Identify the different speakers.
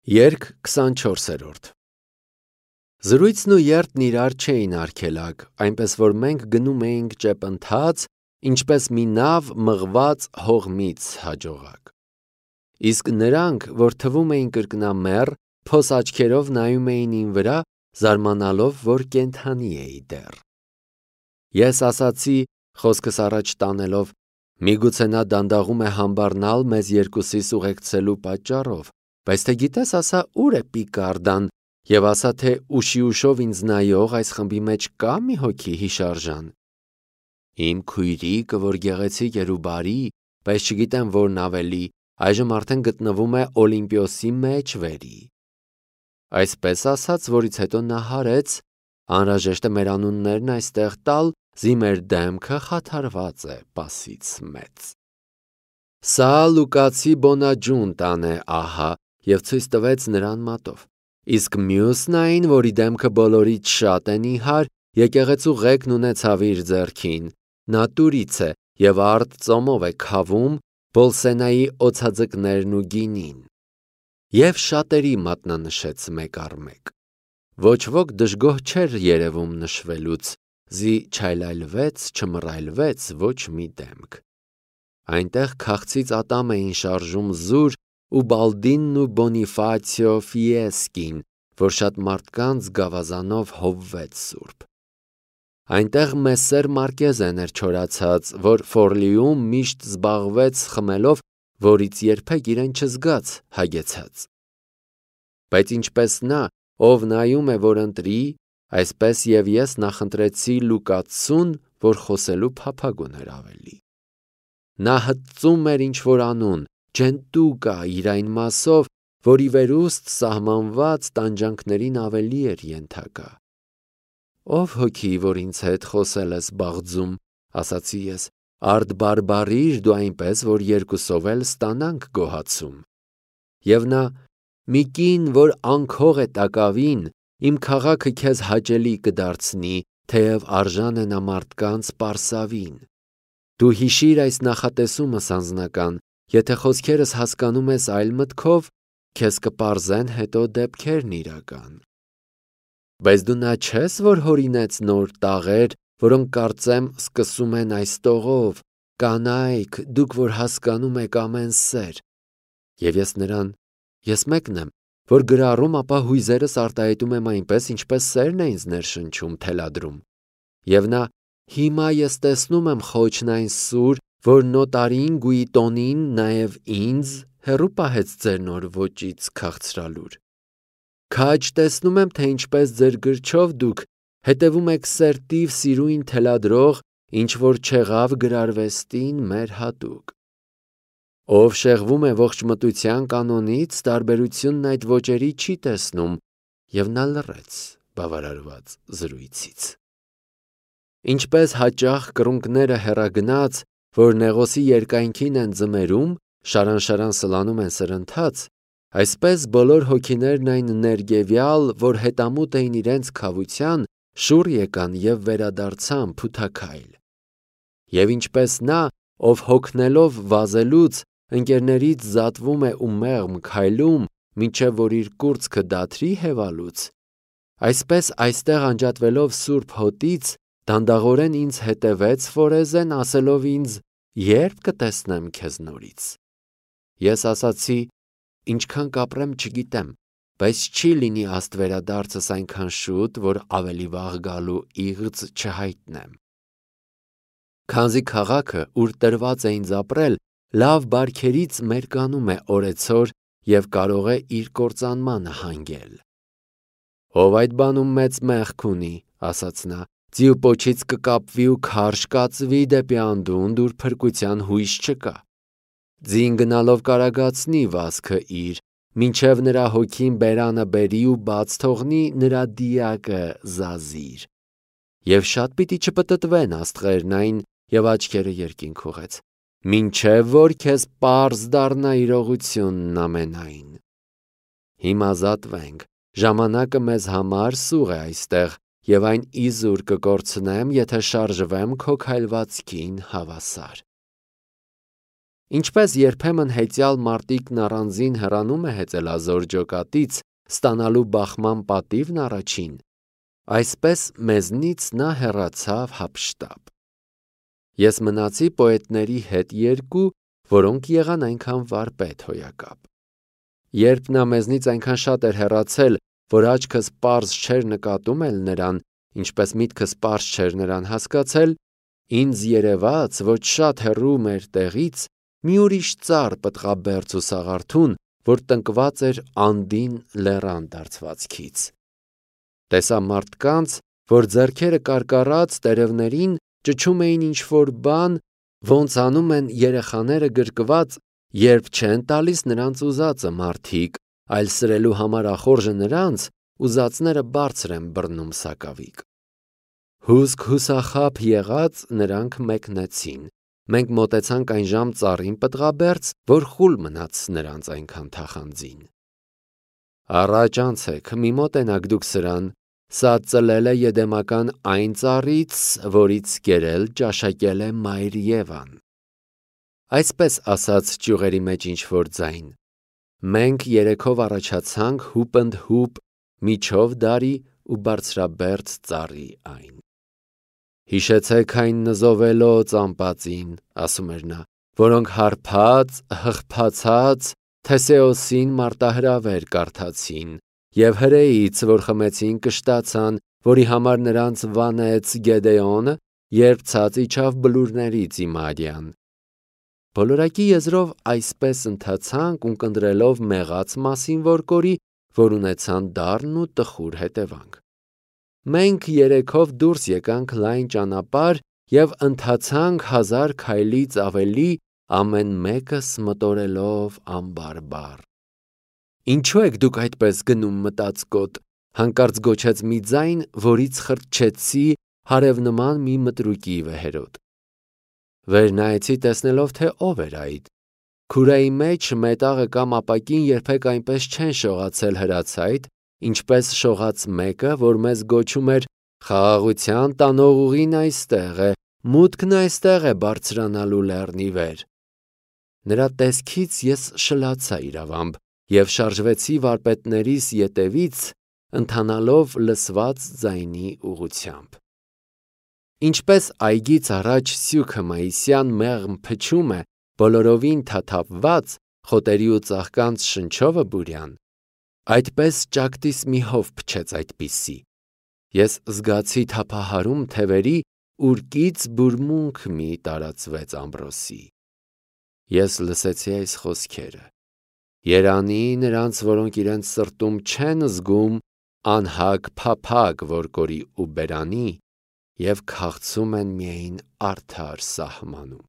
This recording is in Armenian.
Speaker 1: Երգ 24-րդ Զրույցն ու երթն իրար չէին արգելակ, այնպես որ մենք գնում էինք ճեպընթաց, ինչպես մի նավ մղված հողմից հաջողակ։ Իսկ նրանք, որ թվում էին կրկնամեռ, փոս աչքերով նայում էին իմ վրա, զարմանալով, որ կենդանի էի դեռ։ Ես ասացի, խոսքս առաջ տանելով, միգուցե նա դանդաղում է համբառնալ մեզ երկուսիս ուղեկցելու պատճառով, բայց թե գիտես ասա ուր է Պիկարդան և ասա թե ուշի-ուշով ինձ նայող այս խմբի մեջ կա մի հոգի հիշարժան։ Իմ քույրիկը, որ գեղեցիկ էր ու բարի, բայց չգիտեմ որն ավելի, այժմ արդեն գտնվում է Օլիմպիոսի մեջ վերի։ Այսպես ասաց, որից հետո նա հարեց, անհրաժեշտ է մեր անուններն այստեղ տալ, զի մեր դեմքը խաթարված է պասից մեծ։ Սա Լուկացի Բոնաջունտան է ահա, և ցույց տվեց նրան մատով, իսկ մյուսն այն, որի դեմքը բոլորից շատ է նիհար, եկեղեցու ղեկն ունեցավ իր ձեռքին, նա տուրից է և արդ ծոմով է քավում Բոլսենայի օձաձկներն ու գինին։ Եվ շատերի մատնանշեց մեկ առ մեկ։ Ոչ ոք դժգոհ չէր երևում նշվելուց, զի չայլայլվեց, չմռայլվեց ոչ մի դեմք։ Այնտեղ քաղցից ատամ էին շարժում Զուր ու Բալդինն ու Բոնիֆացիո Ֆիեսկին, որ շատ մարդկանց գավազանով հովվեց սուրբ։ Այնտեղ Մեսսեր Մարկեզեն էր չորացած, որ Ֆորլիում միշտ զբաղվեց խմելով, որից երբեք իրեն չզգաց հագեցած։ Բայց ինչպես նա, ով նայում է, որ ընտրի, այսպես և ես նախընտրեցի Լուկացուն, որ խոսելու փափագ ուներ ավելի։ Նա հծում էր ինչ-որ անուն, ջենտուկա իր այն մասով, որի վերուստ սահմանված տանջանքներին ավելի էր ենթակա։ Ով հոգի, որ ինձ հետ խոսել ես բաղձում, ասացի ես, արդ բարբառիր դու այնպես, որ երկուսով էլ ստանանք գոհացում։ Եվ նա, մի կին, որ անքող է տակավին, իմ քաղաքը քեզ հաճելի կդարձնի, թեև արժան է նա մարդկանց պարսավին։ Դու հիշիր այս նախատեսումս անձնական, եթե խոսքերս հասկանում ես այլ մտքով, քեզ կպարզեն հետո դեպքերն իրական։ Բայց դու նա չես, որ հորինեց նոր տաղեր, որոնք կարծեմ սկսում են այս տողով, կանայք, դուք որ հասկանում եք ամեն սեր։ Եվ ես նրան, ես մեկն եմ, որ գրառում, ապա հույզերս արտահայտում եմ այնպես, ինչպես սերն է ինձ ներշնչում, թելադրում։ Եվ նա, հիմա ես տեսնում եմ խոչն այն սուր, որ նոտարին Գուիտոնին նաև ինձ հեռու պահեց ձեր նոր ոճից քաղցրալուր։ Քաջ տեսնում եմ, թե ինչպես ձեր գրչով դուք հետևում եք սերտիվ սիրույն թելադրող, ինչ որ չեղավ գրարվեստին մեր հատուկ։ Ով շեղվում է ողջ մտության կանոնից, տարբերությունն այդ ոճերի չի տեսնում, և նա լռեց բավարարված զրույցից։ Ինչպես հաճախ կռունկները հեռագնաց, որ նեղոսի երկայնքին են ձմերում, շարան-շարան սլանում են սրընթաց, այսպես բոլոր հոգիներն այն ներգևյալ, որ հետամուտ էին իրենց քավության, շուռ եկան և վերադարձան փութաքայլ։ Եվ ինչպես նա, ով հոգնելով վազելուց, ընկերներից զատվում է ու մեղմ քայլում, մինչև որ իր կուրծքը դադրի հևալուց, այսպես այստեղ անջատվելով սուրբ հոտից, դանդաղորեն ինձ հետևեց Ֆորեզեն, ասելով ինձ. «Ե՞րբ կտեսնեմ քեզ նորից»։ Ես ասացի. «Ինչքան կապրեմ չգիտեմ, բայց չի լինի աստվերադարձս այնքան շուտ, որ ավելի վաղ գալու իղձ չհայտնեմ»։ Քանզի քաղաքը, ուր տրված է ինձ ապրել, լավ բարքերից մերկանում է օրեցօր և կարող է իր կործանմանը հանգել։ Ով այդ բանում մեծ մեղք ունի, ասաց նա, ձիու պոչից կկապվի ու քարշ կածվի դեպի անդունդը, ուր փրկության հույս չկա։ Ձին գնալով կարագացնի վազքը իր, մինչև նրա հոգին բերանը բերի ու բաց թողնի նրա դիակը զազիր։ Եվ շատ պիտի չպտտվեն աստղերն այն, և աչքերը երկինք ուղղեց, մինչև որ քեզ պարզ դառնա իրողությունն ամենայն։ Հիմա զատվենք, ժամանակը մեզ համար սուղ է այստեղ, և այն իզուր կկորցնեմ, եթե շարժվեմ քո քայլվածքին հավասար։ Ինչպես երբեմն հեծյալ մարտիկն առանձին հեռանում է հեծելազոր ջոկատից, ստանալու բախման պատիվն առաջին, այսպես մեզնից նա հեռացավ հափշտապ։ Ես մնացի պոետների հետ երկու, որոնք եղան այնքան վարպետ հոյակապ։ Երբ նա մեզնից այնքան շատ էր հեռացել, որ աչքս պարզ չէր նկատում էլ նրան, ինչպես միտքս պարզ չէր նրան հասկացել, ինձ երևաց, որ շատ հեռու մեր տեղից մի ուրիշ ծառ պտղաբերձ ու սաղարթուն, որ տնկված էր անդին լեռան դարձվածքից։ Տեսա մարդկանց, որ ձեռքերը կարկառած տերևներին ճչում էին ինչ-որ բան, ոնց անում են երեխաները գրկված, երբ չեն տալիս նրանց ուզածը մարդիկ, այլ սրելու համար ախորժը նրանց, ուզածները բարձր են բռնում սակավիկ։ Հուսք հուսախաբ եղած նրանք մեկնեցին, մենք մոտեցանք այն ժամ ծառին պտղաբերձ, որ խուլ մնաց նրանց այնքան թախանձին։ Առաջ անցեք, մի մոտենաք դուք սրան, սա ծլել է եդեմական այն ծառից, որից կերել ճաշակել է մայր Եվան։ Այսպես ասաց ճյուղերի մեջ ինչ-որ ձայն։ Մենք երեքով առաջացանք հուպընդհուպ միջով դարի ու բարձրաբերձ ծառի այն։ Հիշեցեք այն նզովելոց ամպածին, ասում էր նա, որոնք հարբած, հղբացած Թեսեոսին մարտահրավեր կարդացին, և հրեից, որ խմեցին կշտացան, որի համար նրանց վանեց Գեդեոնը, երբ ցած իջավ բլուրներից Իմարյան։ Բոլորակի եզրով այսպես ընթացանք ունկնդրելով մեղած մասին որ կորի, որ ունեցան դառն ու տխուր հետևանք։ Մենք երեքով դուրս եկանք լայն ճանապարհ և ընթացանք 1000 քայլից ավելի, ամեն մեկս մտորելով անբարբար։ Ինչո՞ւ եք դուք այդպես գնում մտածկոտ, հանկարծ գոչեց մի ձայն, որից խրճեցի հարևնման մի մտրուկի վեհերոտ։ Վեր նայեցի տեսնելով, թե ով էր այդ։ Քուրայի մեջ մետաղը կամ ապակին երբեք այնպես չեն շողացել հրացայտ, ինչպես շողաց մեկը, որ մեզ գոչում էր «Խաղաղության տանող ուղին այստեղ է, մուտքն այստեղ է բարձրանալու լեռնի վեր»։ Նրա տեսքից ես շլացա իրավամբ և շարժվեցի վարպետներիս ետևից, ընթանալով լսված ձայնի ուղղությամբ։ Ինչպես այգից առաջ սյուքը մայիսյան մեղմ փչում է, բոլորովին թաթափված, խոտերի ու ծաղկանց շնչովը բուրյան, այդպես ճակտիս մի հով փչեց այդպիսի։ Ես զգացի թափահարում թևերի, ուրկից բուրմունք մի տարածվեց ամրոսի։ Ես լսեցի այս խոսքերը. «Երանի նրանց, որոնք իրենց սրտում չեն զգում անհագ փափագ, որ կորի ու բերանի, և քաղցում են միայն արդար սահմանում»։